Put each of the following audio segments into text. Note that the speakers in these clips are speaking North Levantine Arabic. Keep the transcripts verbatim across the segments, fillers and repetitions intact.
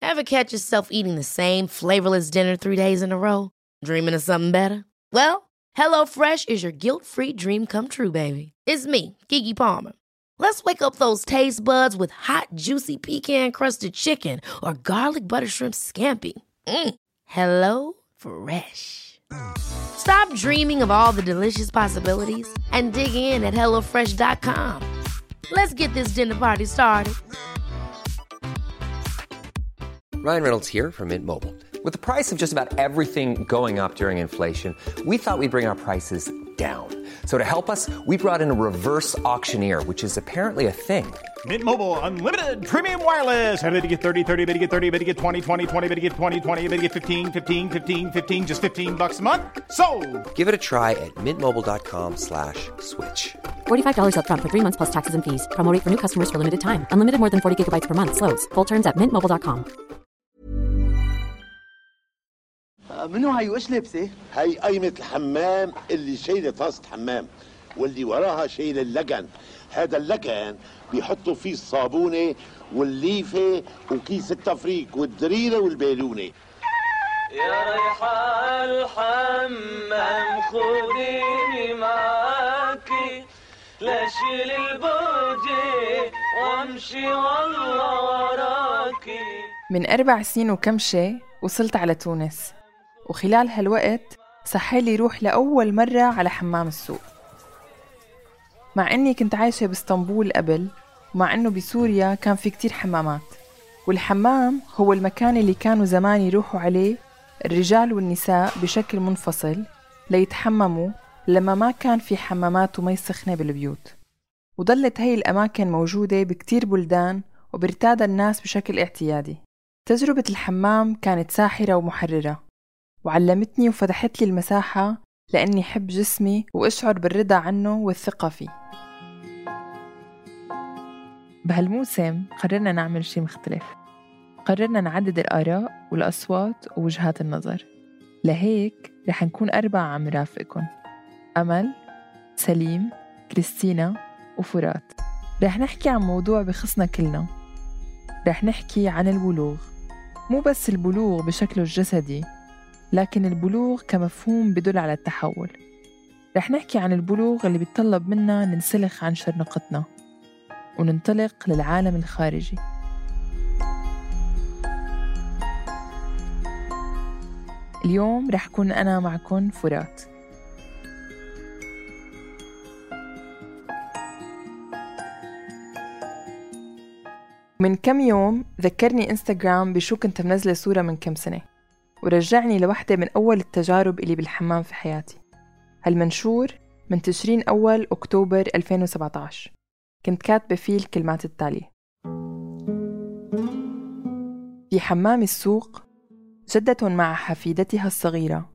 Ever catch yourself eating the same flavorless dinner three days in a row? Dreaming of something better? Well, HelloFresh is your guilt-free dream come true, baby. It's me, Keke Palmer. Let's wake up those taste buds with hot, juicy pecan-crusted chicken or garlic butter shrimp scampi. Mm. Hello Fresh. Stop dreaming of all the delicious possibilities and dig in at hello fresh dot com. Let's get this dinner party started. Ryan Reynolds here from Mint Mobile. With the price of just about everything going up during inflation, we thought we'd bring our prices down. So to help us, we brought in a reverse auctioneer, which is apparently a thing. Mint Mobile Unlimited Premium Wireless. How to get thirty, thirty, how to get thirty, how to get twenty, twenty, twenty, how to get twenty, twenty, how to get fifteen, fifteen, fifteen, fifteen, just fifteen bucks a month? Sold! Give it a try at mintmobile.com slash switch. forty-five dollars up front for three months plus taxes and fees. Promo rate for new customers for limited time. Unlimited more than forty gigabytes per month. Slows full terms at mint mobile dot com. منو هاي وإيش لبسه؟ هاي قايمة الحمام اللي شايلة طاسة حمام واللي وراها شايلة اللجن. هذا اللجن بيحطوا فيه الصابونة والليفة وكيس التفريق والدريرة والبالونة. يا ريحة الحمام خذيني معاكي لا شيل البوجي وامشي والله وراكي. من أربع سنين وكم شي وصلت على تونس، وخلال هالوقت سحالي روح لأول مرة على حمام السوق. مع أني كنت عايشة باسطنبول قبل، ومع أنه بسوريا كان في كتير حمامات، والحمام هو المكان اللي كانوا زمان يروحوا عليه الرجال والنساء بشكل منفصل ليتحمموا لما ما كان في حمامات ومي سخنة بالبيوت. وظلت هاي الأماكن موجودة بكتير بلدان وبرتادها الناس بشكل اعتيادي. تجربة الحمام كانت ساحرة ومحررة، وعلمتني وفتحت لي المساحة لأني حب جسمي وأشعر بالرضا عنه والثقة فيه. بهالموسم قررنا نعمل شي مختلف، قررنا نعدد الآراء والأصوات ووجهات النظر. لهيك رح نكون أربعة عم رافقكن: أمل، سليم، كريستينا وفرات. رح نحكي عن موضوع بخصنا كلنا. رح نحكي عن البلوغ، مو بس البلوغ بشكله الجسدي، لكن البلوغ كمفهوم بدل على التحول. رح نحكي عن البلوغ اللي بيتطلب منا ننسلخ عن شرنقتنا وننطلق للعالم الخارجي. اليوم رح كون أنا معكن فرات. من كم يوم ذكرني إنستغرام بشو كنت منزلة صورة من كم سنة، ورجعني لوحدة من أول التجارب اللي بالحمام في حياتي. هالمنشور من تشرين أول أكتوبر ألفين وسبعة عشر. كنت كاتبة فيه الكلمات التالية: في حمام السوق جدة مع حفيدتها الصغيرة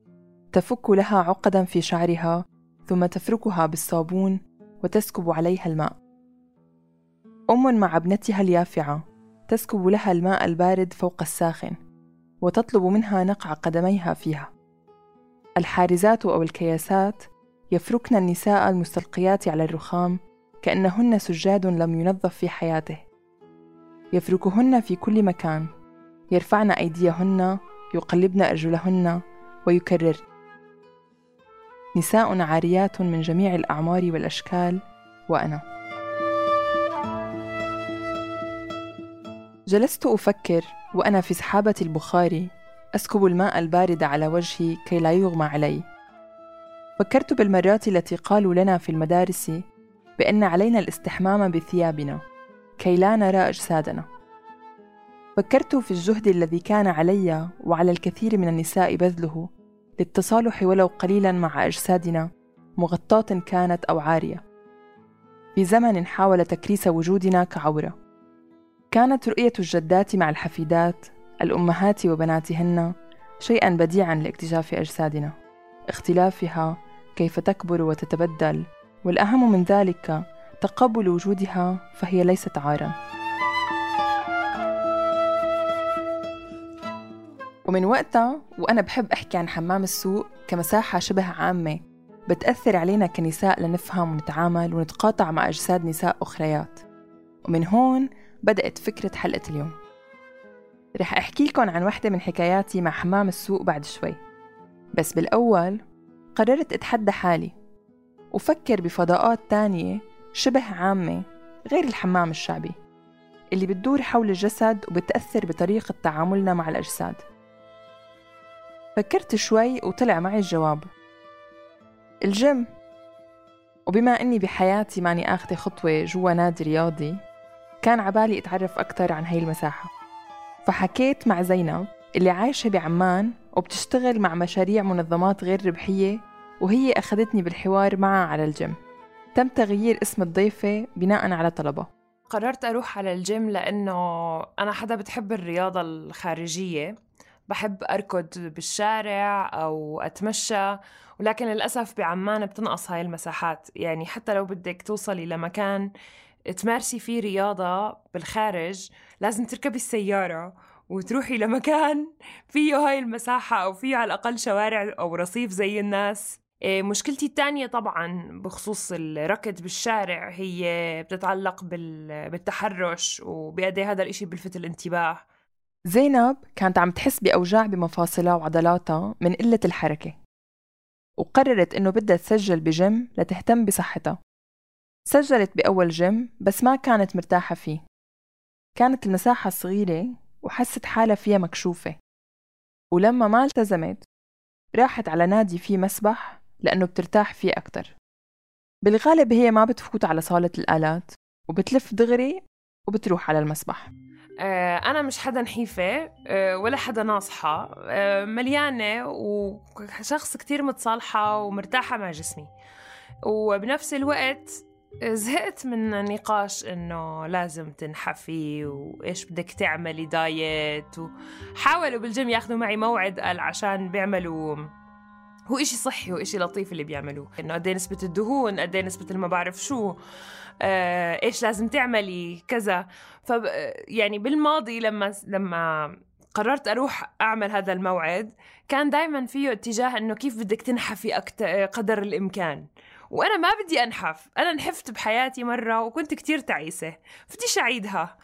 تفك لها عقدا في شعرها ثم تفركها بالصابون وتسكب عليها الماء. أم مع ابنتها اليافعة تسكب لها الماء البارد فوق الساخن وتطلب منها نقع قدميها فيها. الحارزات أو الكياسات يفركن النساء المستلقيات على الرخام كأنهن سجاد لم ينظف في حياته. يفركهن في كل مكان، يرفعن أيديهن، يقلبن أرجلهن ويكررن. نساء عاريات من جميع الأعمار والأشكال، وأنا. جلست أفكر وأنا في سحابة البخاري أسكب الماء البارد على وجهي كي لا يغمى علي. فكرت بالمرات التي قالوا لنا في المدارس بأن علينا الاستحمام بثيابنا كي لا نرى أجسادنا. فكرت في الجهد الذي كان علي وعلى الكثير من النساء بذله للتصالح ولو قليلا مع أجسادنا، مغطاة كانت أو عارية، في زمن حاول تكريس وجودنا كعورة. كانت رؤية الجدات مع الحفيدات، الأمهات وبناتهن، شيئا بديعا لاكتشاف أجسادنا، اختلافها، كيف تكبر وتتبدل، والأهم من ذلك تقبل وجودها، فهي ليست عارا. ومن وقتها وأنا بحب أحكي عن حمام السوق كمساحة شبه عامة بتأثر علينا كنساء لنفهم ونتعامل ونتقاطع مع أجساد نساء أخريات. ومن هون بدأت فكرة حلقة اليوم. رح أحكي لكم عن واحدة من حكاياتي مع حمام السوق بعد شوي، بس بالأول قررت أتحدى حالي وفكر بفضاءات تانية شبه عامة غير الحمام الشعبي اللي بتدور حول الجسد وبتأثر بطريقة تعاملنا مع الأجساد. فكرت شوي وطلع معي الجواب: الجيم. وبما أني بحياتي ماني آخذة خطوة جوا نادي رياضي، كان عبالي أتعرف أكتر عن هاي المساحة. فحكيت مع زينب اللي عايشة بعمان وبتشتغل مع مشاريع منظمات غير ربحية، وهي أخذتني بالحوار معها على الجيم. تم تغيير اسم الضيفة بناء على طلبها. قررت أروح على الجيم لأنه أنا حدا بتحب الرياضة الخارجية، بحب أركض بالشارع أو أتمشى، ولكن للأسف بعمان بتنقص هاي المساحات. يعني حتى لو بدك توصلي لمكان تمارسي فيه رياضة بالخارج لازم تركبي السيارة وتروحي لمكان فيه هاي المساحة أو فيه على الأقل شوارع أو رصيف زي الناس. مشكلتي الثانية طبعاً بخصوص الركض بالشارع هي بتتعلق بالتحرش، وبقد ايه هذا الاشي بلفت الانتباه. زينب كانت عم تحس بأوجاع بمفاصلها وعضلاتها من قلة الحركة، وقررت إنه بدها تسجل بجيم لتهتم بصحتها. سجلت بأول جيم بس ما كانت مرتاحة فيه، كانت المساحة صغيرة وحست حالها فيها مكشوفة. ولما ما التزمت راحت على نادي فيه مسبح لأنه بترتاح فيه أكتر. بالغالب هي ما بتفوت على صالة الآلات وبتلف دغري وبتروح على المسبح. أنا مش حدا نحيفة ولا حدا ناصحة، مليانة وشخص كتير متصالحة ومرتاحة مع جسمي، وبنفس الوقت زهقت من نقاش إنه لازم تنحفي وإيش بدك تعملي دايت. وحاولوا بالجيم ياخدوا معي موعد قال عشان بيعملوا هو إشي صحي وإشي لطيف اللي بيعملوه، إنه قديه نسبة الدهون، قديه نسبة ما بعرف شو، آه، إيش لازم تعملي كذا. ف يعني بالماضي لما لما قررت أروح أعمل هذا الموعد كان دايما فيه اتجاه إنه كيف بدك تنحفي أكتر قدر الإمكان، وأنا ما بدي أنحف. أنا نحفت بحياتي مرة وكنت كتير تعيسة، بديش أعيدها.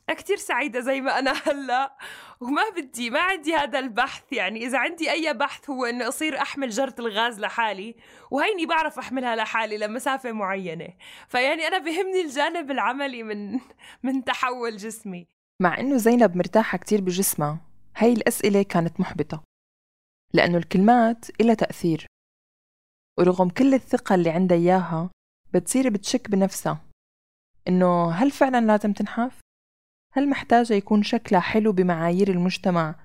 كتير سعيدة زي ما أنا هلأ، وما بدي ما عندي هذا البحث. يعني إذا عندي أي بحث هو إنه أصير أحمل جرة الغاز لحالي، وهيني بعرف أحملها لحالي لمسافة معينة. فيعني أنا بهمني الجانب العملي من من تحول جسمي. مع إنه زينب مرتاحة كتير بجسمها، هاي الأسئلة كانت محبطة، لأنه الكلمات إلها تأثير، ورغم كل الثقة اللي عندها إياها بتصير بتشك بنفسها إنه هل فعلا لازم تنحف؟ هل محتاجة يكون شكلها حلو بمعايير المجتمع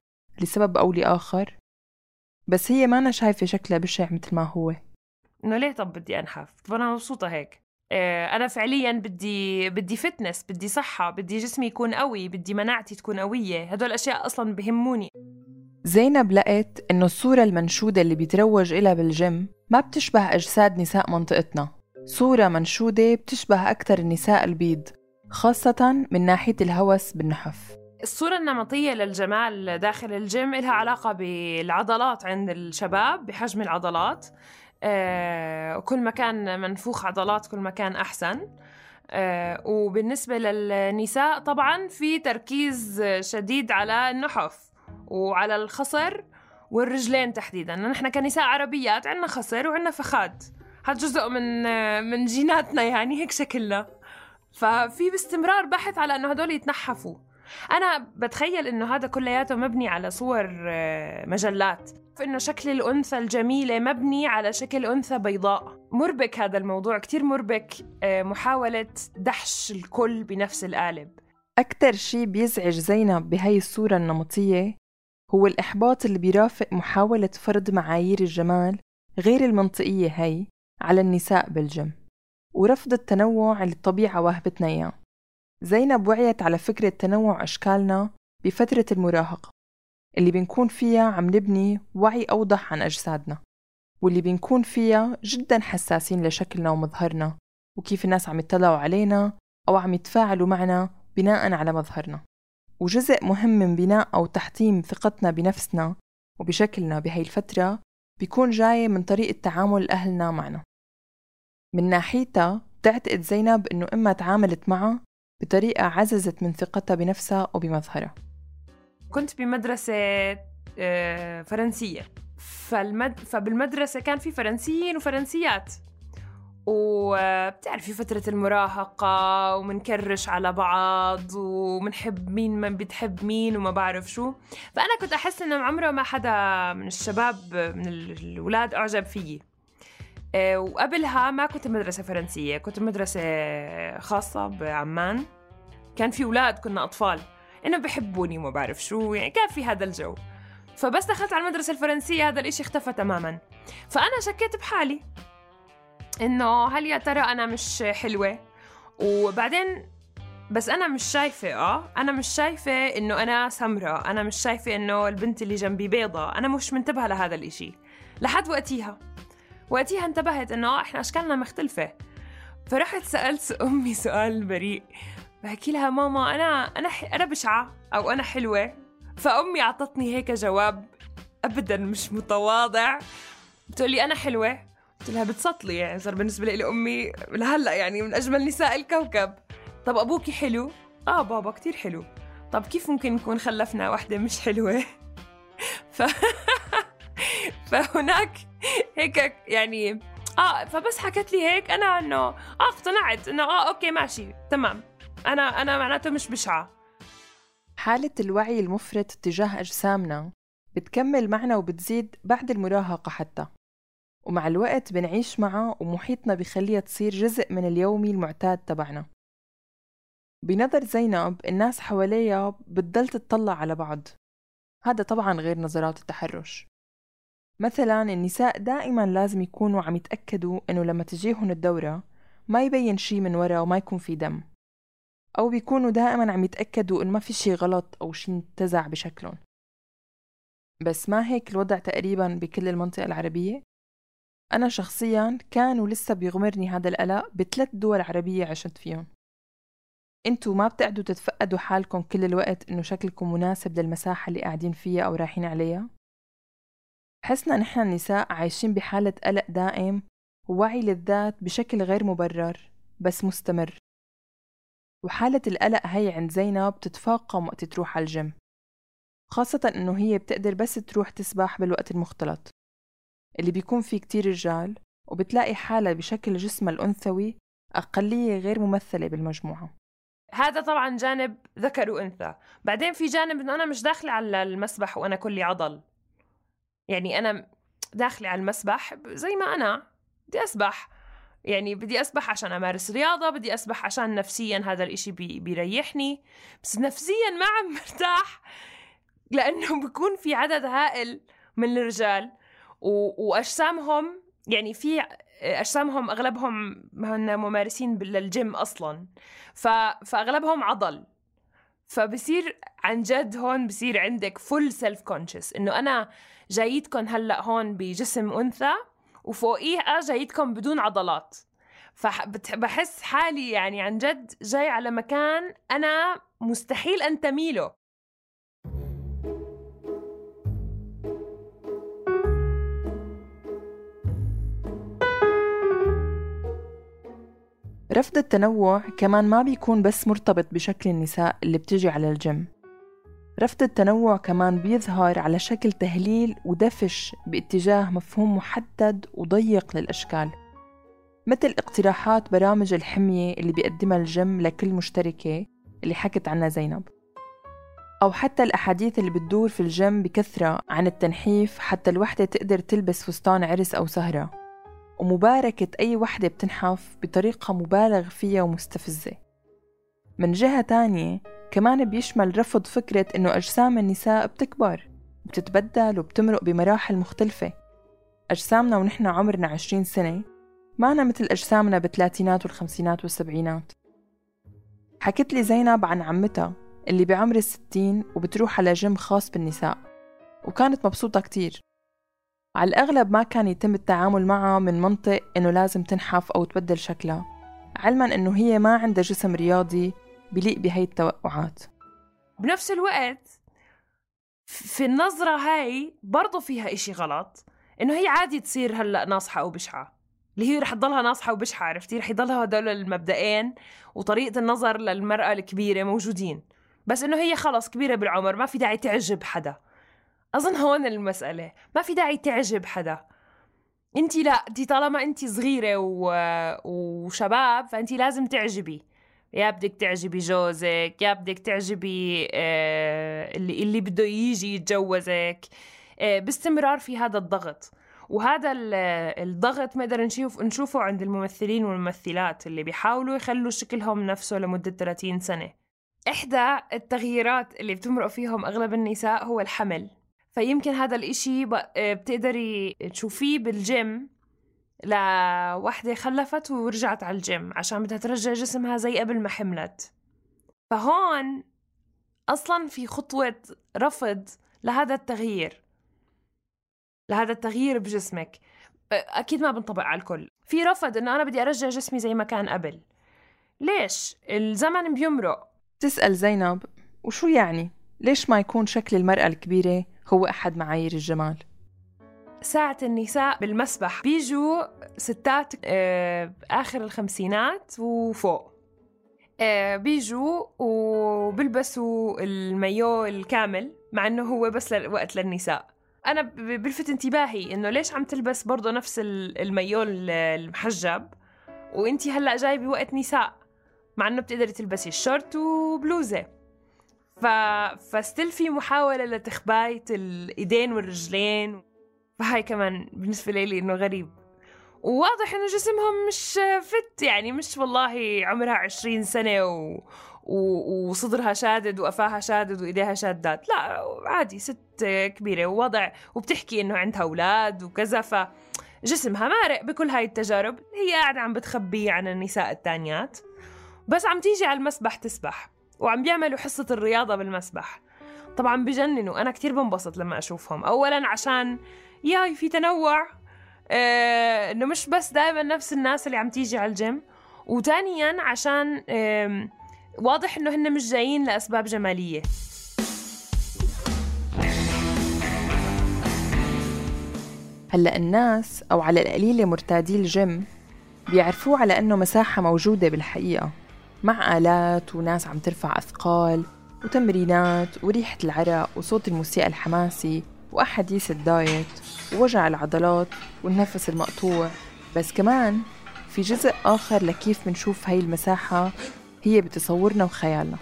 لسبب أو لآخر؟ بس هي ما أنا شايفة شكلها بشع مثل ما هو. إنه ليه طب بدي أنحف؟ طب أنا مبسوطة هيك. اه أنا فعليا بدي بدي فتنس، بدي صحة، بدي جسمي يكون قوي، بدي مناعتي تكون قوية. هدول الأشياء أصلا بهموني. زينب لقت إنه الصورة المنشودة اللي بيتروج إلها بالجيم ما بتشبه أجساد نساء منطقتنا. صورة منشودة بتشبه أكتر النساء البيض، خاصة من ناحية الهوس بالنحف. الصورة النمطية للجمال داخل الجيم إلها علاقة بالعضلات عند الشباب، بحجم العضلات. آه، كل ما كان منفوخ عضلات كل ما كان أحسن. آه، وبالنسبة للنساء طبعاً في تركيز شديد على النحف وعلى الخصر والرجلين تحديداً. نحن كنساء عربيات عنا خصر وعنا فخاد، هذا جزء من من جيناتنا، يعني هيك شكلنا. ففي باستمرار بحث على أنه هدول يتنحفوا. أنا بتخيل أنه هذا كلياته مبني على صور مجلات، فإنه شكل الأنثى الجميلة مبني على شكل أنثى بيضاء. مربك هذا الموضوع، كتير مربك، محاولة دحش الكل بنفس القالب. أكتر شي بيزعج زينب بهاي الصورة النمطية هو الإحباط اللي بيرافق محاولة فرض معايير الجمال غير المنطقية هاي على النساء بالجيم، ورفض التنوع اللي الطبيعة واهبتنا إياه. زينب وعيت على فكرة تنوع أشكالنا بفترة المراهقة اللي بنكون فيها عم نبني وعي أوضح عن أجسادنا، واللي بنكون فيها جداً حساسين لشكلنا ومظهرنا وكيف الناس عم يطلعوا علينا أو عم يتفاعلوا معنا بناءً على مظهرنا. وجزء مهم من بناء أو تحطيم ثقتنا بنفسنا وبشكلنا بهاي الفترة بيكون جاي من طريقة تعامل أهلنا معنا. من ناحيتها تعتقد زينب إنه إما تعاملت معه بطريقة عززت من ثقتها بنفسها وبمظهرها. كنت بمدرسة فرنسية. فالمد... فبالمدرسة كان في فرنسيين وفرنسيات، وبتعرفي فترة المراهقة ومنكرش على بعض ومنحب مين من بتحب مين وما بعرف شو. فأنا كنت أحس إنه عمره ما حدا من الشباب من الولاد أعجب فيي. وقبلها ما كنت مدرسة فرنسية، كنت مدرسة خاصة بعمان. كان في أولاد، كنا أطفال، إنه بحبوني وما بعرف شو، يعني كان في هذا الجو. فبس دخلت على المدرسة الفرنسية هذا الإشي اختفى تماماً. فأنا شكيت بحالي إنه هل يا ترى أنا مش حلوة؟ وبعدين بس أنا مش شايفة آه أنا مش شايفة إنه أنا سمرة، أنا مش شايفة إنه البنت اللي جنبي بيضة، أنا مش منتبهة لهذا الإشي لحد وقتيها. وقتيها انتبهت إنه إحنا أشكالنا مختلفة. فرحت سألت أمي سؤال بريء، بحكي لها ماما أنا أنا أنا بشعة أو أنا حلوة؟ فأمي عطتني هيك جواب أبداً مش متواضع، بتقولي أنا حلوة. قلت لها بتسطلي، يعني صار بالنسبة لي أمي لهلأ يعني من أجمل نساء الكوكب. طب أبوكي حلو؟ آه بابا كتير حلو. طب كيف ممكن نكون خلفنا واحدة مش حلوة؟ ف... فهناك هيك يعني آه فبس حكت لي هيك أنا إنه آه اقتنعت إنه آه أوكي ماشي تمام، أنا أنا معناته مش بشعة. حالة الوعي المفرط تجاه أجسامنا بتكمل معنا وبتزيد بعد المراهقة حتى، ومع الوقت بنعيش معها ومحيطنا بخليها تصير جزء من اليومي المعتاد تبعنا. بنظر زينب الناس حواليها بتضل تتطلع على بعض، هذا طبعا غير نظرات التحرش. مثلا النساء دائما لازم يكونوا عم يتأكدوا انه لما تجيهن الدورة ما يبين شي من ورا وما يكون في دم، أو بيكونوا دائما عم يتأكدوا إن ما في شي غلط أو شي انتزع بشكلهم. بس ما هيك الوضع تقريبا بكل المنطقة العربية؟ أنا شخصيا كان ولسه بيغمرني هذا القلق بثلاث دول عربية عشت فيهم. انتوا ما بتقعدوا تتفقدوا حالكم كل الوقت إنه شكلكم مناسب للمساحة اللي قاعدين فيها أو رايحين عليها؟ حسنا نحن النساء عايشين بحالة قلق دائم ووعي للذات بشكل غير مبرر بس مستمر. وحالة القلق هي عند زينب تتفاقم وقت تروح على الجيم، خاصة إنه هي بتقدر بس تروح تسبح بالوقت المختلط اللي بيكون فيه كتير رجال، وبتلاقي حالة بشكل جسمها الأنثوي أقلية غير ممثلة بالمجموعة. هذا طبعا جانب ذكر وأنثى. بعدين في جانب إنه أنا مش داخلة على المسبح وأنا كلي عضل، يعني أنا داخلة على المسبح زي ما أنا بدي أسبح، يعني بدي أسبح عشان أمارس رياضة، بدي أسبح عشان نفسياً هذا الإشي بي بيريحني، بس نفسياً ما عم مرتاح لأنه بيكون في عدد هائل من الرجال وأجسامهم، يعني في أجسامهم أغلبهم هن ممارسين للجيم أصلاً، فأغلبهم عضل. فبصير عن جد هون بصير عندك full self conscious إنه أنا جايتكم هلأ هون بجسم أنثى وفوقيها جايتكم بدون عضلات. فبحس حالي يعني عن جد جاي على مكان أنا مستحيل أنتمي له. رفض التنوع كمان ما بيكون بس مرتبط بشكل النساء اللي بتجي على الجيم. رفض التنوع كمان بيظهر على شكل تهليل ودفش باتجاه مفهوم محدد وضيق للأشكال، مثل اقتراحات برامج الحمية اللي بيقدمها الجيم لكل مشتركة اللي حكت عنها زينب، أو حتى الأحاديث اللي بتدور في الجيم بكثرة عن التنحيف حتى الوحدة تقدر تلبس فستان عرس أو سهرة، ومباركة أي وحدة بتنحف بطريقة مبالغ فيها ومستفزة. من جهة تانية كمان بيشمل رفض فكرة إنه أجسام النساء بتكبر وبتتبدل وبتمرق بمراحل مختلفة. أجسامنا ونحن عمرنا عشرين سنة معنا مثل أجسامنا بالثلاثينات والخمسينات والسبعينات. حكت لي زينب عن عمتها اللي بعمر الستين وبتروح على جيم خاص بالنساء، وكانت مبسوطة كتير. على الأغلب ما كان يتم التعامل معها من منطق إنه لازم تنحف أو تبدل شكلها، علما إنه هي ما عندها جسم رياضي بليق بهاي التوقعات. بنفس الوقت في النظرة هاي برضو فيها إشي غلط، إنه هي عادي تصير هلأ ناصحة أو بشعة، اللي هي رح تضلها ناصحة وبشعة، عرفتي؟ رح يضلها هدول المبدئين وطريقة النظر للمرأة الكبيرة موجودين، بس إنه هي خلص كبيرة بالعمر، ما في داعي تعجب حدا. أظن هون المسألة، ما في داعي تعجب حدا. انتي لا، انتي طالما انتي صغيرة و... وشباب فانتي لازم تعجبي، يا بدك تعجبي جوزك، يا بدك تعجبي آه اللي اللي بده يجي يتجوزك. آه باستمرار في هذا الضغط، وهذا الضغط نقدر نشوف نشوفه عند الممثلين والممثلات اللي بيحاولوا يخلوا شكلهم نفسه لمدة ثلاثين سنة. إحدى التغييرات اللي بتمرق فيهم أغلب النساء هو الحمل. فيمكن هذا الإشي بتقدري تشوفيه بالجيم لوحدة خلفت ورجعت على الجيم عشان بدها ترجع جسمها زي قبل ما حملت. فهون أصلاً في خطوة رفض لهذا التغيير لهذا التغيير بجسمك. أكيد ما بنطبق على الكل. في رفض إنه أنا بدي أرجع جسمي زي ما كان قبل. ليش؟ الزمن بيمرق. تسأل زينب وشو يعني؟ ليش ما يكون شكل المرأة الكبيرة هو أحد معايير الجمال؟ ساعة النساء بالمسبح بيجوا ستات آه آخر الخمسينات وفوق، آه بيجوا وبلبسوا المايو الكامل مع إنه هو بس وقت للنساء. أنا بلفت انتباهي إنه ليش عم تلبس برضو نفس المايو المحجب وإنتي هلأ جاي بوقت نساء، مع إنه بتقدري تلبسي الشورت وبلوزة. ف... فستيل في محاولة لتخباية الإيدين والرجلين. فهاي كمان بالنسبة لي إنه غريب، وواضح إنه جسمهم مش فت، يعني مش والله عمرها عشرين سنة و... و... وصدرها شادد وقفاها شادد وإيديها شادات، لا عادي ست كبيرة ووضع وبتحكي إنه عندها أولاد وكذا، فجسمها مارق بكل هاي التجارب. هي قاعدة عم بتخبي عن النساء التانيات، بس عم تيجي على المسبح تسبح وعم بيعملوا حصة الرياضة بالمسبح. طبعا بجننوا، أنا كتير بنبسط لما أشوفهم. أولا عشان ياي في تنوع، آه إنه مش بس دائما نفس الناس اللي عم تيجي على الجيم، وتانيا عشان آه واضح إنه هن مش جايين لأسباب جمالية. هلأ الناس أو على القليلة مرتادي الجيم بيعرفوه على أنه مساحة موجودة بالحقيقة، مع آلات وناس عم ترفع أثقال وتمرينات وريحة العرق وصوت الموسيقى الحماسي وأحاديث الدايت ووجع العضلات والنفس المقطوع. بس كمان في جزء آخر لكيف منشوف هاي المساحة هي بتصورنا وخيالنا.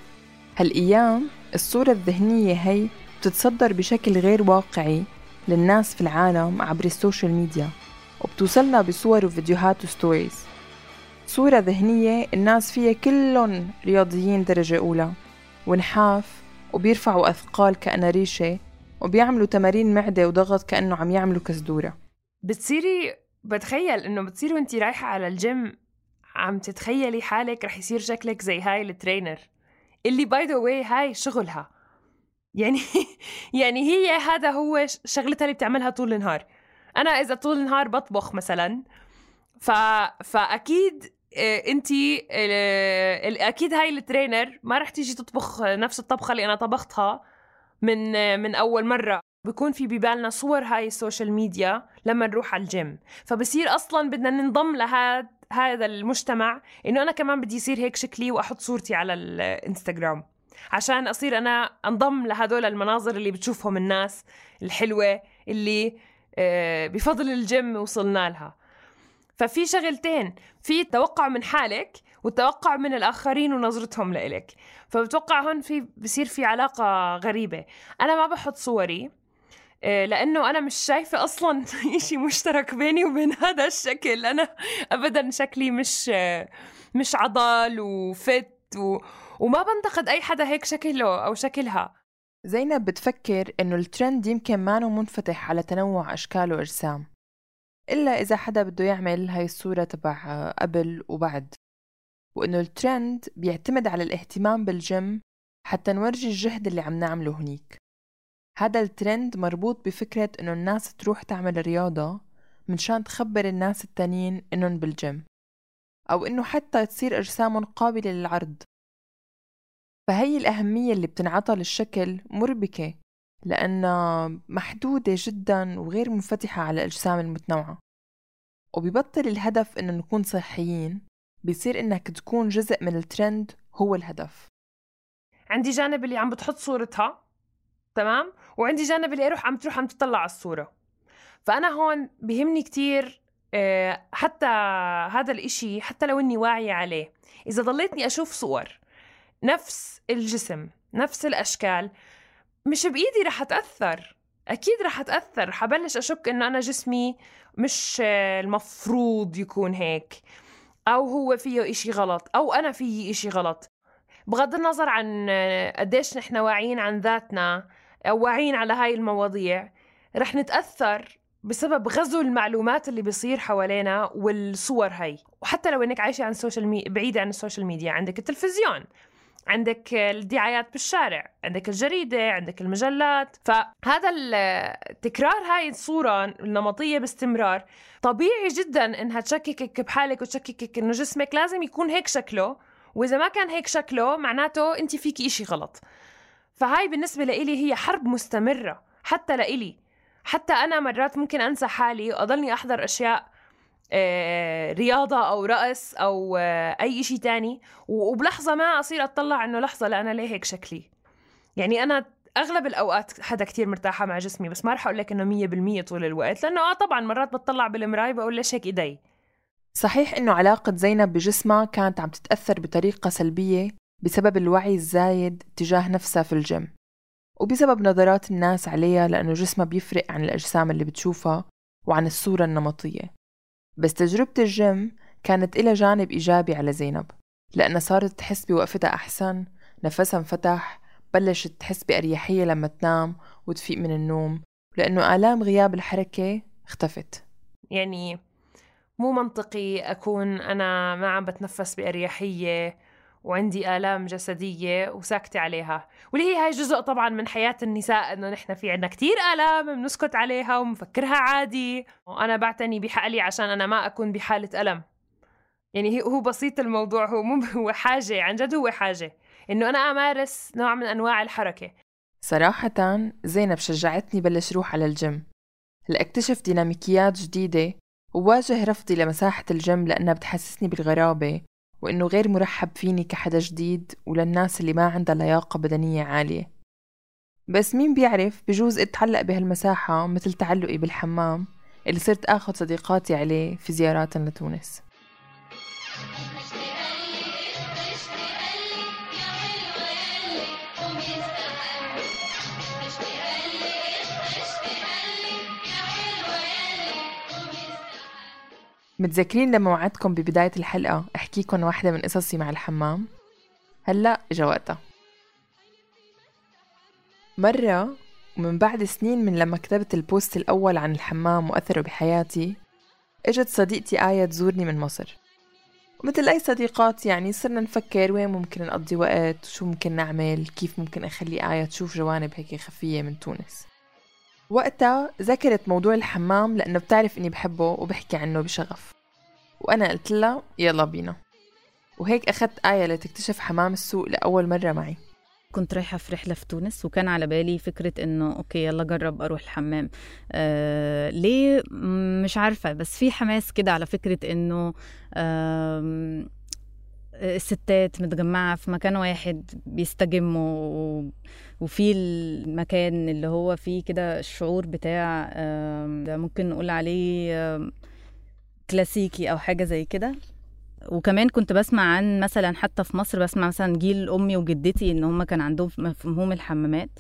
هالأيام الصورة الذهنية هي بتتصدر بشكل غير واقعي للناس في العالم عبر السوشيال ميديا، وبتوصلنا بصور وفيديوهات وستوريز. صورة ذهنية الناس فيها كلهم رياضيين درجة أولى ونحاف وبيرفعوا أثقال كأنها ريشة وبيعملوا تمارين معدة وضغط كأنه عم يعملوا كزدورة. بتصيري بتخيل إنه بتصيري وانتي رايحة على الجيم عم تتخيلي حالك رح يصير شكلك زي هاي الترينر اللي باي ذا واي هاي شغلها، يعني يعني هي هذا هو شغلتها اللي بتعملها طول النهار. أنا إذا طول النهار بطبخ مثلا ف... فأكيد انتي اكيد هاي الترينر ما رح تيجي تطبخ نفس الطبخة اللي انا طبختها من من اول مرة. بيكون في ببالنا صور هاي السوشيال ميديا لما نروح على الجيم، فبصير اصلا بدنا ننضم لهذا هذا المجتمع، انه انا كمان بدي يصير هيك شكلي واحط صورتي على الانستغرام عشان اصير انا انضم لهدول المناظر اللي بتشوفهم الناس الحلوة اللي بفضل الجيم وصلنا لها. ففي شغلتين، في التوقع من حالك والتوقع من الآخرين ونظرتهم لإلك. فبتوقع هون في بصير في علاقة غريبة. أنا ما بحط صوري لأنه أنا مش شايفة أصلاً إشي مشترك بيني وبين هذا الشكل. أنا أبداً شكلي مش مش عضل وفت و... وما بنتقد أي حدا هيك شكله أو شكلها. زينب بتفكر إنه الترند يمكن مانو منفتح على تنوع أشكال وأجسام، إلا إذا حدا بده يعمل هاي الصورة تبع قبل وبعد، وإنه الترند بيعتمد على الاهتمام بالجيم حتى نورجي الجهد اللي عم نعمله هنيك. هذا الترند مربوط بفكرة إنه الناس تروح تعمل رياضة منشان تخبر الناس التانيين إنهم بالجيم، أو إنه حتى تصير أجسامهم قابلة للعرض. فهي الأهمية اللي بتنعطى للشكل مربكة لأنها محدودة جدا وغير منفتحة على الأجسام المتنوعة، وبيبطل الهدف إنه نكون صحيين، بيصير إنك تكون جزء من الترند هو الهدف. عندي جانب اللي عم بتحط صورتها، تمام، وعندي جانب اللي أروح عم تروح عم تطلع على الصورة. فأنا هون بيهمني كتير حتى هذا الإشي، حتى لو إني واعية عليه، إذا ضليتني أشوف صور نفس الجسم نفس الأشكال مش بإيدي رح أتأثر، أكيد رح أتأثر، حبلش أشك إنه أنا جسمي مش المفروض يكون هيك، أو هو فيه إشي غلط، أو أنا فيه إشي غلط. بغض النظر عن قديش نحن واعيين عن ذاتنا أو واعيين على هاي المواضيع، رح نتأثر بسبب غزو المعلومات اللي بيصير حوالينا والصور هاي. وحتى لو إنك عايشة عن السوشيال مي... بعيدة عن السوشيال ميديا، عندك التلفزيون، عندك الدعايات بالشارع، عندك الجريدة، عندك المجلات. فهذا التكرار هاي الصورة النمطية باستمرار طبيعي جدا إنها تشككك بحالك وتشككك إنه جسمك لازم يكون هيك شكله، وإذا ما كان هيك شكله معناته أنت فيكي إشي غلط. فهاي بالنسبة لإلي هي حرب مستمرة حتى لإلي. حتى أنا مرات ممكن أنسى حالي وأضلني أحضر أشياء آه رياضة أو رقص أو آه أي إشي تاني، وبلحظة ما أصير أطلع إنه لحظة لا أنا ليه هيك شكلي. يعني أنا أغلب الأوقات حدا كتير مرتاحة مع جسمي، بس ما رح أقول لك إنه مية بالمية طول الوقت، لأنه آه طبعا مرات بتطلع بالمراية بقول ليش هيك إيدي. صحيح إنه علاقة زينب بجسمها كانت عم تتأثر بطريقة سلبية بسبب الوعي الزايد تجاه نفسها في الجيم، وبسبب نظرات الناس عليها لأنه جسمها بيفرق عن الأجسام اللي بتشوفها وعن الصورة النمطية. بس تجربة الجيم كانت إلها جانب إيجابي على زينب، لأنها صارت تحس بوقفتها أحسن، نفسها انفتح، بلشت تحس بأريحية لما تنام وتفيق من النوم، لأنه آلام غياب الحركة اختفت. يعني مو منطقي أكون أنا ما عم بتنفس بأريحية وعندي آلام جسدية وساكتة عليها، واللي هي هاي جزء طبعا من حياة النساء، إنه نحن في عنا كتير آلام بنسكت عليها ومفكرها عادي، وأنا بعتني بحقلي عشان أنا ما أكون بحالة ألم. يعني هو بسيط الموضوع، هو مو هو حاجة، عن جد هو حاجة إنه أنا أمارس نوع من أنواع الحركة. صراحة زينب شجعتني بلش روح على الجيم لأكتشف ديناميكيات جديدة وواجه رفضي لمساحة الجيم، لأنها بتحسسني بالغرابة وإنه غير مرحب فيني كحدا جديد وللناس اللي ما عندها لياقة بدنية عالية. بس مين بيعرف، بجوز اتعلق بهالمساحة مثل تعلقي بالحمام اللي صرت آخذ صديقاتي عليه في زيارات لتونس. متذكرين لما وعدتكم ببداية الحلقة أحكيكم واحدة من قصصي مع الحمام؟ هلأ إجا وقتها. مرة ومن بعد سنين من لما كتبت البوست الأول عن الحمام وأثره بحياتي، إجت صديقتي آية تزورني من مصر، ومثل أي صديقات يعني صرنا نفكر وين ممكن نقضي وقت وشو ممكن نعمل، كيف ممكن أخلي آية تشوف جوانب هيك خفية من تونس. وقتها ذكرت موضوع الحمام لأنه بتعرف إني بحبه وبحكي عنه بشغف، وأنا قلت لها يلا بينا، وهيك أخذت آية لتكتشف حمام السوق لأول مرة معي. كنت رايحة في رحلة في تونس، وكان على بالي فكرة إنه أوكي يلا جرب أروح الحمام. آه ليه مش عارفة، بس في حماس كده على فكرة إنه آه الستات متجمعة في مكان واحد بيستجموا، وفي المكان اللي هو فيه كده الشعور بتاع آه ممكن نقول عليه آه كلاسيكي أو حاجة زي كده. وكمان كنت بسمع عن مثلا حتى في مصر، بسمع مثلا جيل أمي وجدتي إن هم كان عندهم مفهوم الحمامات،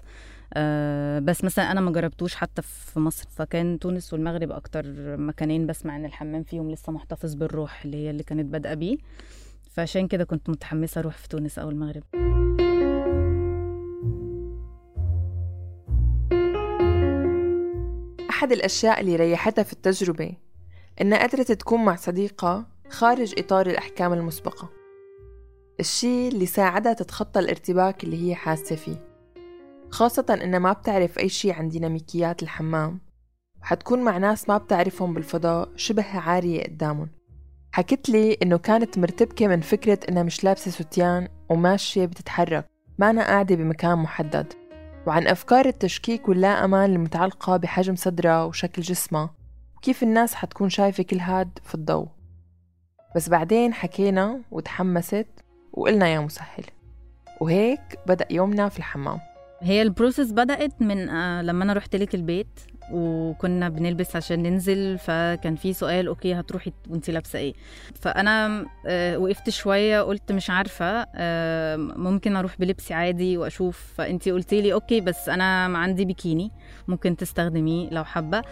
أه بس مثلا أنا ما جربتوش حتى في مصر. فكان تونس والمغرب أكتر مكانين بسمع إن الحمام فيهم لسه محتفظ بالروح اللي هي اللي كانت بادئة بيه، فعشان كده كنت متحمسة أروح في تونس أو المغرب. أحد الأشياء اللي ريحتها في التجربة إنها قدرت تكون مع صديقة خارج إطار الأحكام المسبقة، الشيء اللي ساعدها تتخطى الارتباك اللي هي حاسة فيه، خاصة إنها ما بتعرف أي شيء عن ديناميكيات الحمام، وحتكون مع ناس ما بتعرفهم بالفضاء شبه عارية قدامهم. حكت لي إنه كانت مرتبكة من فكرة إنها مش لابسة ستيان وماشية بتتحرك، ما أنا قاعدة بمكان محدد، وعن أفكار التشكيك واللا أمان المتعلقة بحجم صدرها وشكل جسمها، وكيف الناس حتكون شايفة كل هاد في الضوء. بس بعدين حكينا وتحمست وقلنا يا مسهل. وهيك بدأ يومنا في الحمام. هي البروسيس بدأت من آه لما أنا رحت لك البيت وكنا بنلبس عشان ننزل، فكان في سؤال أوكي هتروحي وانتي لابسة ايه؟ فأنا آه وقفت شوية قلت مش عارفة، آه ممكن أروح بلبسي عادي وأشوف. فأنتي قلتي لي أوكي بس أنا عندي بيكيني ممكن تستخدميه لو حابة.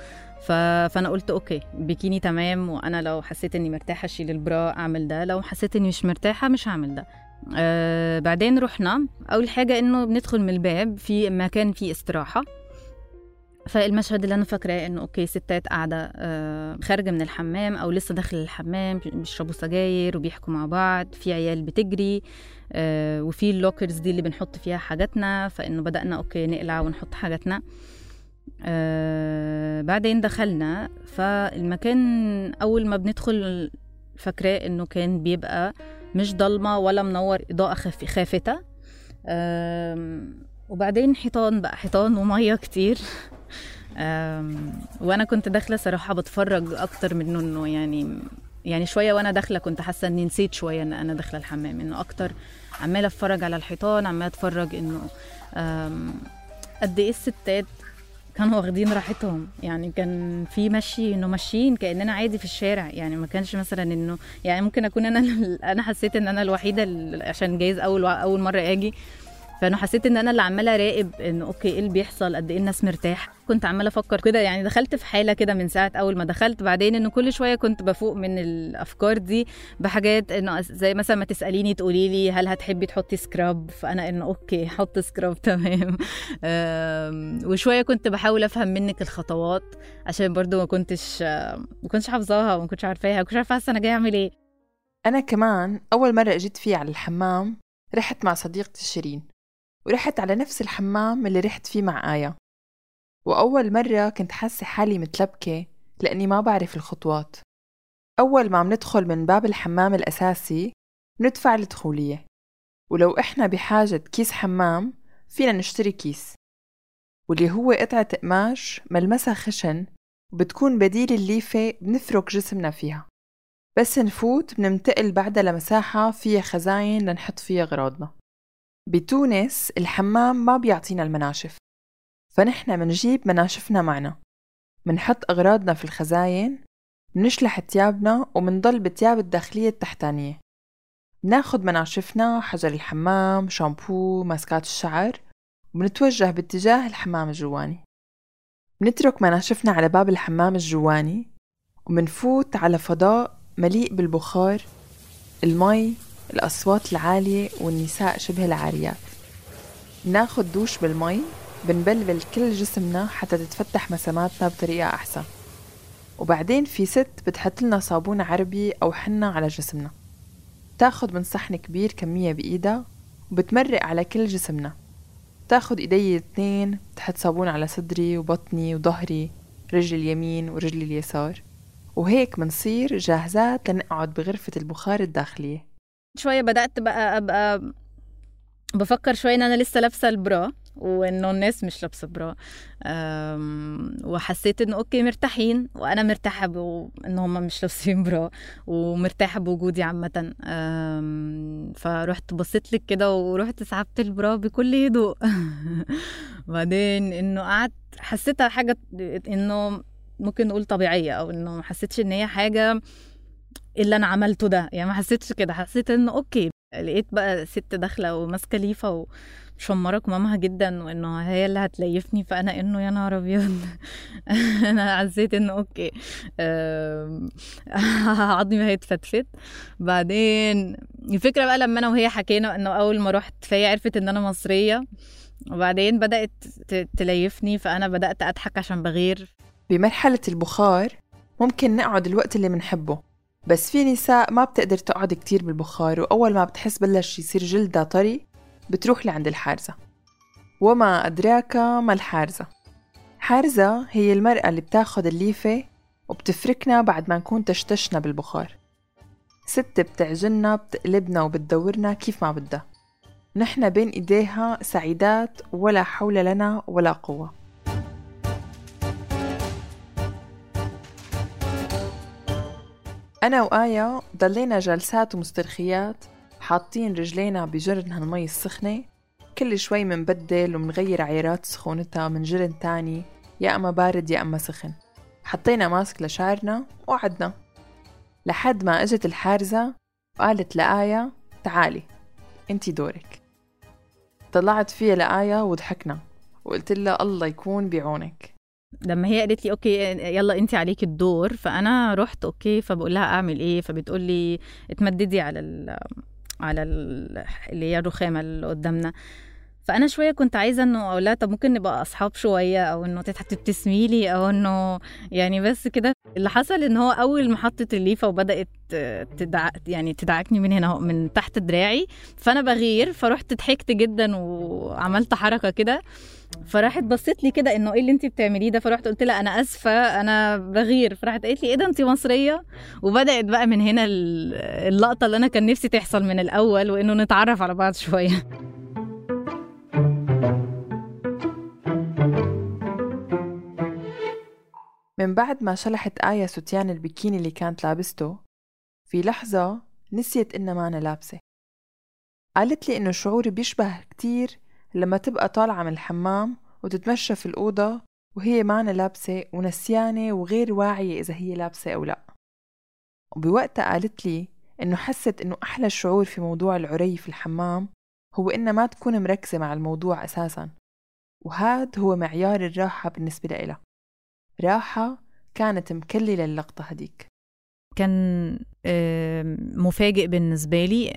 ف... فأنا قلت أوكي بيكيني تمام، وأنا لو حسيت أني مرتاحة أشيل البرا أعمل ده، لو حسيت أني مش مرتاحة مش هعمل ده. آه بعدين رحنا، أول حاجة إنه بندخل من الباب في مكان فيه استراحة. فالمشهد اللي أنا فاكراه إنه أوكي ستات قاعدة آه خارجة من الحمام أو لسه داخل الحمام بيشربوا سجاير وبيحكوا مع بعض، في عيال بتجري آه وفي اللوكرز دي اللي بنحط فيها حاجاتنا، فإنه بدأنا أوكي نقلع ونحط حاجاتنا. آه بعدين دخلنا، فالمكان أول ما بندخل فاكراه إنه كان بيبقى مش ضلمة ولا منور، إضاءة خف... خافتة. وبعدين حيطان بقى، حيطان ومية كتير. وأنا كنت داخلة صراحة بتفرج أكتر منه إنه يعني يعني شوية وأنا داخلة كنت حاسة إني نسيت شوية إن أنا داخلة الحمام، إنه أكتر عمالة أتفرج على الحيطان، عمالة أتفرج إنه قد إيه الستات كانوا واخدين راحتهم. يعني كان في مشي انه ماشيين كأننا عادي في الشارع، يعني ما كانش مثلا انه يعني ممكن اكون انا انا حسيت ان انا الوحيده عشان جايز اول اول مره اجي، فانا حسيت ان انا اللي عماله اراقب انه اوكي ايه اللي بيحصل، قد ايه الناس مرتاح. كنت عماله افكر كده، يعني دخلت في حاله كده من ساعه اول ما دخلت. بعدين انه كل شويه كنت بفوق من الافكار دي بحاجات، انه زي مثلا ما تساليني تقولي لي هل هتحبي تحطي سكراب، فانا انه اوكي حط سكراب تمام. وشويه كنت بحاول افهم منك الخطوات عشان برضو ما كنتش ما كنتش حافظاها وما كنتش عارفاها، ما كنتش عارفه انا جايه اعمل ايه. انا كمان اول مره اجيت فيه على الحمام رحت مع صديقتي شيرين، ورحت على نفس الحمام اللي رحت فيه مع آية. وأول مرة كنت حاسة حالي متلبكة لأني ما بعرف الخطوات. أول ما بندخل من باب الحمام الأساسي بندفع الدخولية، ولو إحنا بحاجة كيس حمام فينا نشتري كيس، واللي هو قطعة قماش ملمسها خشن وبتكون بديل الليفة بنفرك جسمنا فيها. بس نفوت بنمتقل بعدها لمساحة فيها خزاين لنحط فيها أغراضنا. بتونس الحمام ما بيعطينا المناشف، فنحن منجيب مناشفنا معنا، منحط أغراضنا في الخزاين، منشلح تيابنا ومنضل بتياب الداخلية التحتانية. بناخد مناشفنا، حجر الحمام، شامبو، ماسكات الشعر، وبنتوجه باتجاه الحمام الجواني. بنترك مناشفنا على باب الحمام الجواني ومنفوت على فضاء مليء بالبخار، المي، الأصوات العالية والنساء شبه العاريات. بناخد دوش بالمي، بنبلبل كل جسمنا حتى تتفتح مساماتنا بطريقة أحسن. وبعدين في ست بتحط لنا صابون عربي أو حنة على جسمنا، تاخد من صحن كبير كمية بإيدها وبتمرق على كل جسمنا. تاخد إيدي الاثنين تحط صابون على صدري وبطني وظهري، رجل اليمين ورجل اليسار، وهيك منصير جاهزات لنقعد بغرفة البخار الداخلية. شوية بدأت بقى أبقى بفكر شوية إن أنا لسه لابسة البرا وإنه الناس مش لابسة برا، وحسيت إنه أوكي مرتاحين وأنا مرتاحة إنه هم مش لابسين برا ومرتاحة بوجودي عامة. فرحت بصيت لك كده ورحت سحبت البرا بكل هدوء. بعدين إنه قعدت حسيتها حاجة إنه ممكن نقول طبيعية، أو إنه ما حسيتش إن هي حاجة اللي أنا عملته ده، يعني ما حسيتش كده. حسيت إنه أوكي، لقيت بقى ست داخلة وماسكة ليفة ومشمرة كمامها جدا وإنه هي اللي هتليفني، فأنا إنه يا نهار أبيض. أنا حسيت إنه أوكي عظمي هيتفتفت. بعدين الفكرة بقى لما أنا وهي حكينا إنه أول ما رحت فهي عرفت إن أنا مصرية، وبعدين بدأت تليفني فأنا بدأت أضحك عشان بغير. بمرحلة البخار ممكن نقعد الوقت اللي منحبه، بس في نساء ما بتقدر تقعد كتير بالبخار، وأول ما بتحس بلش يصير جلدها طري بتروح لعند الحارزة. وما أدراك ما الحارزة؟ حارزة هي المرأة اللي بتاخد الليفة وبتفركنا بعد ما نكون تشتشنا بالبخار. ست بتعجلنا، بتقلبنا وبتدورنا كيف ما بدها. نحن بين إيديها سعيدات ولا حول لنا ولا قوة. أنا وآية ضلينا جلسات ومسترخيات حاطين رجلينا بجرن هالمي السخنة، كل شوي منبدل ومنغير عيارات سخونتها من جرن تاني، يا أما بارد يا أما سخن. حطينا ماسك لشعرنا وقعدنا لحد ما اجت الحارزة وقالت لآية تعالي انتي دورك. طلعت فيها لآية وضحكنا وقلت لها الله يكون بعونك. لما هي قالت لي اوكي يلا انتي عليك الدور، فانا رحت اوكي، فبقول لها اعمل ايه، فبتقول لي اتمددي على ال على ال اللي هي الرخامه اللي قدامنا. فانا شويه كنت عايزه انه اقول لها طب ممكن نبقى اصحاب شويه، او انه تبتسمي لي، او انه يعني بس كده. اللي حصل ان هو اول ما حطت الليفه وبدات تدع يعني تدعكني من هنا من تحت دراعي، فانا بغير، فرحت ضحكت جدا وعملت حركه كده، فراحت بصت لي كده انه ايه اللي انتي بتعمليه ده، فرحت قلت لها انا اسفه انا بغير، فراحت قالت لي ايه ده انتي مصريه. وبدات بقى من هنا اللقطه اللي انا كان نفسي تحصل من الاول، وانه نتعرف على بعض شويه. من بعد ما شلحت آية ستيان البيكيني اللي كانت لابسته، في لحظة نسيت إنها ما أنا لابسة. قالت لي إنه شعوري بيشبه كتير لما تبقى طالعة من الحمام وتتمشى في الأوضة وهي ما أنا لابسة ونسيانة وغير واعية إذا هي لابسة أو لأ. وبوقتها قالت لي إنه حست إنه أحلى شعور في موضوع العري في الحمام هو إنها ما تكون مركزة مع الموضوع أساساً، وهذا هو معيار الراحة بالنسبة لها. راحة كانت مكللة اللقطة هديك. كان مفاجئ بالنسبة لي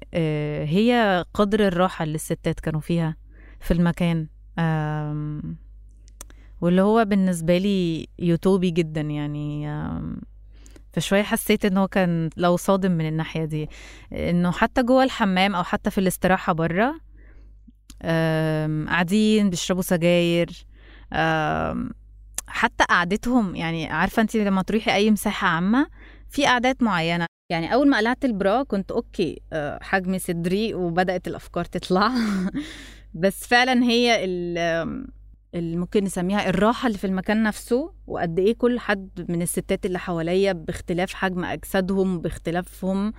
هي قدر الراحة اللي الستات كانوا فيها في المكان، واللي هو بالنسبة لي يوتوبي جدا يعني. فشوية حسيت انه كان لو صادم من الناحية دي، انه حتى جوه الحمام او حتى في الاستراحة برا قاعدين بيشربوا سجاير، حتى قعدتهم يعني عارفة انت لما تروحي اي مساحة عامة في قعدات معينة. يعني اول ما قلعت البرا كنت اوكي حجمي صدري وبدأت الافكار تطلع بس فعلا هي اللي ممكن نسميها الراحة اللي في المكان نفسه، وقد ايه كل حد من الستات اللي حواليا باختلاف حجم اجسادهم باختلافهم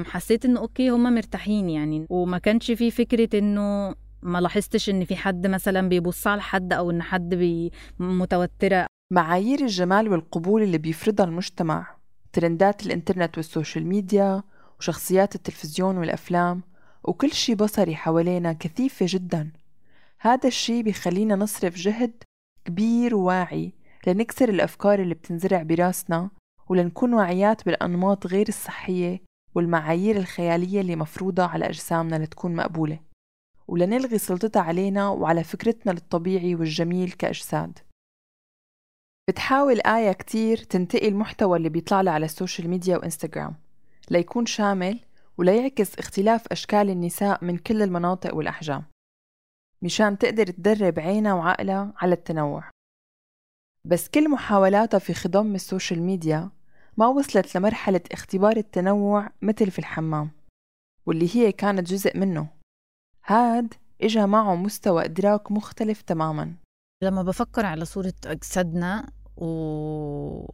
حسيت انه اوكي هما مرتاحين يعني. وما كانش فيه فكرة انه ما لاحظتش ان في حد مثلا بيبص على حد او ان حد بي متوترة. معايير الجمال والقبول اللي بيفرضها المجتمع، ترندات الانترنت والسوشيال ميديا وشخصيات التلفزيون والافلام وكل شي بصري حوالينا كثيفة جدا. هذا الشي بيخلينا نصرف جهد كبير وواعي لنكسر الافكار اللي بتنزرع براسنا، ولنكون واعيات بالانماط غير الصحية والمعايير الخيالية اللي مفروضة على اجسامنا لتكون مقبولة، ولنلغي سلطتها علينا وعلى فكرتنا للطبيعي والجميل كأجساد. بتحاول آية كتير تنتقي المحتوى اللي بيطلع لها على السوشيال ميديا وإنستغرام ليكون شامل وليعكس اختلاف أشكال النساء من كل المناطق والأحجام، مشان تقدر تدرب عينها وعقلها على التنوع. بس كل محاولاتها في خضم السوشيال ميديا ما وصلت لمرحلة اختبار التنوع مثل في الحمام، واللي هي كانت جزء منه. هاد إجا معه مستوى إدراك مختلف تماماً. لما بفكر على صورة أجسادنا و...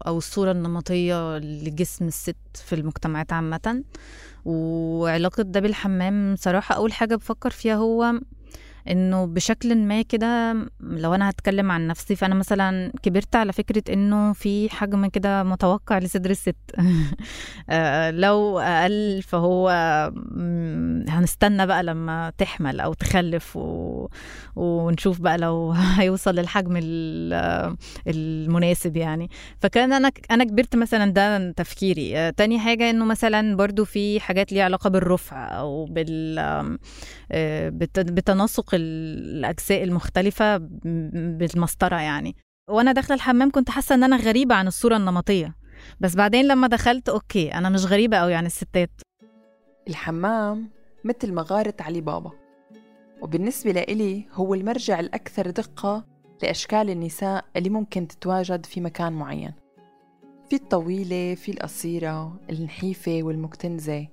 أو الصورة النمطية لجسم الست في المجتمعات عامة وعلاقة ده بالحمام، صراحة أول حاجة بفكر فيها هو انه بشكل ما كده، لو انا هتكلم عن نفسي فانا مثلا كبرت على فكرة انه في حجم كده متوقع لصدر الست لو اقل فهو هنستنى بقى لما تحمل او تخلف و... ونشوف بقى لو هيوصل للحجم المناسب يعني. فكان انا انا كبرت مثلا ده تفكيري. تاني حاجة انه مثلا برضو في حاجات ليها علاقة بالرفع او بال بتناسق الأجزاء المختلفة بالمسطرة يعني. وأنا داخلة الحمام كنت حاسة أن أنا غريبة عن الصورة النمطية، بس بعدين لما دخلت أوكي أنا مش غريبة أوي عن الستات. الحمام مثل مغارة علي بابا، وبالنسبة لإلي هو المرجع الأكثر دقة لأشكال النساء اللي ممكن تتواجد في مكان معين. في الطويلة، في القصيرة، النحيفة والمكتنزة،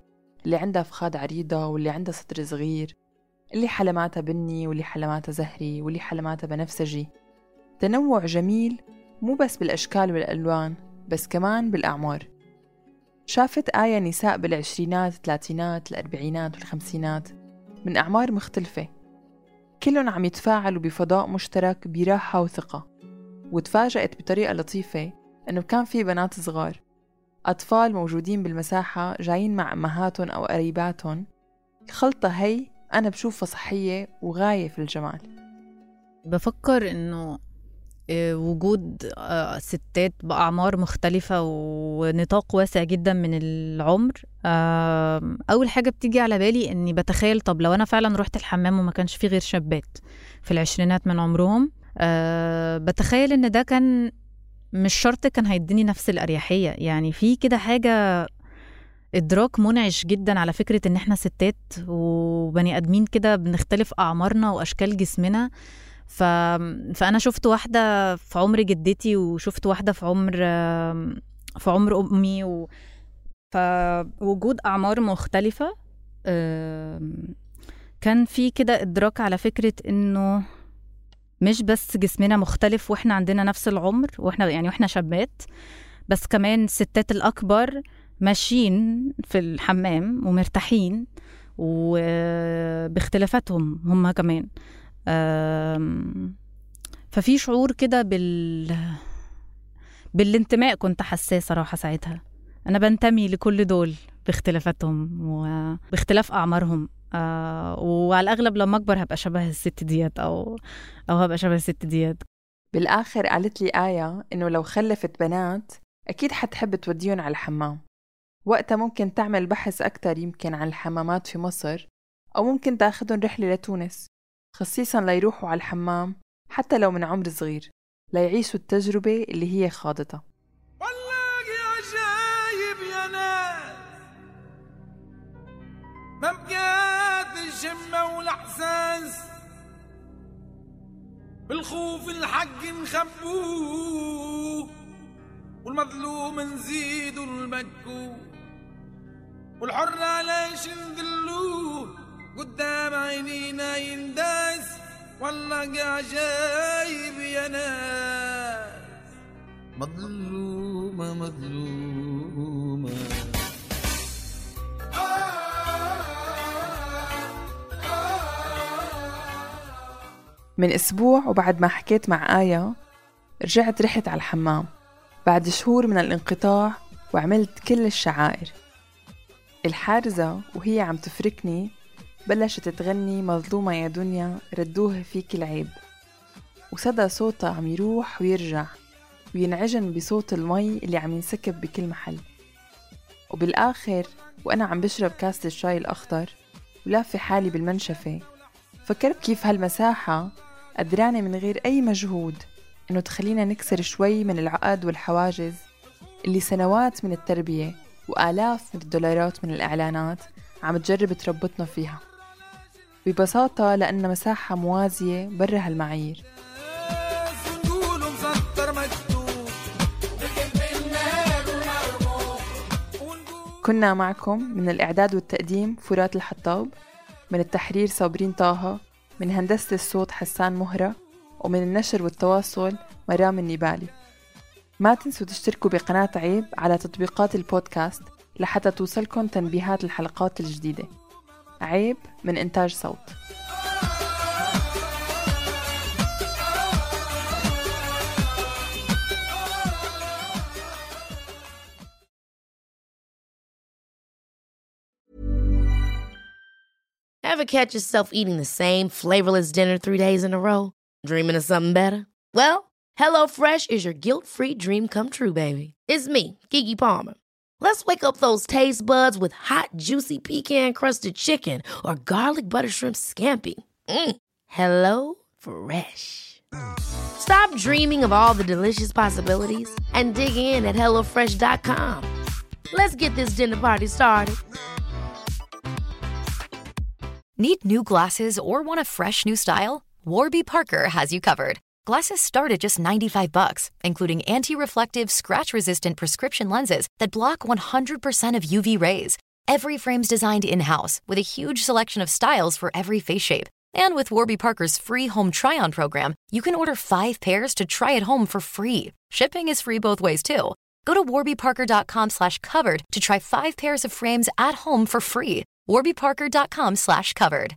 اللي عندها فخاد عريضة واللي عندها صدر صغير، اللي حلماتها بني واللي حلماتها زهري واللي حلماتها بنفسجي. تنوع جميل مو بس بالأشكال والألوان بس كمان بالأعمار. شافت آية نساء بالعشرينات، الثلاثينات، الأربعينات والخمسينات من أعمار مختلفة، كلهم عم يتفاعلوا بفضاء مشترك براحة وثقة. وتفاجأت بطريقة لطيفة أنه كان في بنات صغار، أطفال موجودين بالمساحة جايين مع أمهاتهم أو قريباتهم. الخلطة هي أنا بشوفها صحية وغاية في الجمال. بفكر إنه وجود ستات بأعمار مختلفة ونطاق واسع جدا من العمر، أول حاجة بتيجي على بالي إني بتخيل طب لو أنا فعلا رحت الحمام وما كانش فيه غير شابات في العشرينات من عمرهم، بتخيل إن ده كان مش شرط كان هيديني نفس الأريحية. يعني في كده حاجة إدراك منعش جدا على فكرة إن إحنا ستات وبني أدمين كده بنختلف أعمارنا وأشكال جسمنا. ف... فأنا شفت واحدة في عمر جدتي وشفت واحدة في عمر في عمر أمي و... فوجود أعمار مختلفة كان في كده إدراك على فكرة إنه مش بس جسمنا مختلف وإحنا عندنا نفس العمر وإحنا يعني وإحنا شابات، بس كمان الستات الأكبر ماشيين في الحمام ومرتاحين وباختلافاتهم هم كمان. ففي شعور كده بال بالانتماء كنت حساه صراحة ساعتها. أنا بنتمي لكل دول باختلافاتهم وباختلاف أعمارهم، آه وعلى الأغلب لما أكبر هبقى شبه الست ديات أو أو هبقى شبه الست ديات. بالآخر قالت لي آية إنه لو خلفت بنات أكيد حتحب توديهم على الحمام. وقتها ممكن تعمل بحث أكتر يمكن عن الحمامات في مصر، أو ممكن تاخدهم رحلة لتونس خصيصاً ليروحوا على الحمام حتى لو من عمر صغير ليعيشوا التجربة اللي هي خاضتها. والله يا جايب يا ناس ما بقات الشمة والإحساس بالخوف الحق نخبوه والمظلوم نزيدوا المكو والحر ليش نذلوه قدام عينينا ينداس. والله جايب يا ناس مظلومة مظلومة. من أسبوع وبعد ما حكيت مع آية رجعت رحت على الحمام بعد شهور من الانقطاع وعملت كل الشعائر. الحارزة وهي عم تفركني بلشت تغني مظلومة يا دنيا ردوه فيك العيب، وصدى صوتها عم يروح ويرجع وينعجن بصوت المي اللي عم ينسكب بكل محل. وبالآخر وأنا عم بشرب كاسة الشاي الأخضر ولافة حالي بالمنشفة فكرت كيف هالمساحة قدرانة من غير أي مجهود إنه تخلينا نكسر شوي من العقد والحواجز اللي سنوات من التربية وآلاف من الدولارات من الإعلانات عم تجرب تربطنا فيها. ببساطة لأن مساحة موازية برا هالمعايير. كنا معكم من الإعداد والتقديم فرات الحطاب، من التحرير صابرين طه، من هندسة الصوت حسان مهرة، ومن النشر والتواصل مرام النبالي. ما تنسوا تشتركوا بقناة عيب على تطبيقات البودكاست لحتى توصلكم تنبيهات الحلقات الجديدة. عيب من إنتاج صوت. Ever catch yourself eating the same flavorless dinner three days in a row? Dreaming of something better? Well, HelloFresh is your guilt-free dream come true, baby. It's me, Keke Palmer. Let's wake up those taste buds with hot, juicy pecan-crusted chicken or garlic butter shrimp scampi. Mm. Hello Fresh. Stop dreaming of all the delicious possibilities and dig in at hello fresh dot com. Let's get this dinner party started. Need new glasses or want a fresh new style? Warby Parker has you covered. Glasses start at just ninety-five bucks, including anti-reflective, scratch-resistant prescription lenses that block one hundred percent of U V rays. Every frame's designed in-house with a huge selection of styles for every face shape. And with Warby Parker's free home try-on program, you can order five pairs to try at home for free. Shipping is free both ways, too. Go to warbyparker.com slash covered to try five pairs of frames at home for free. warbyparker.com slash covered.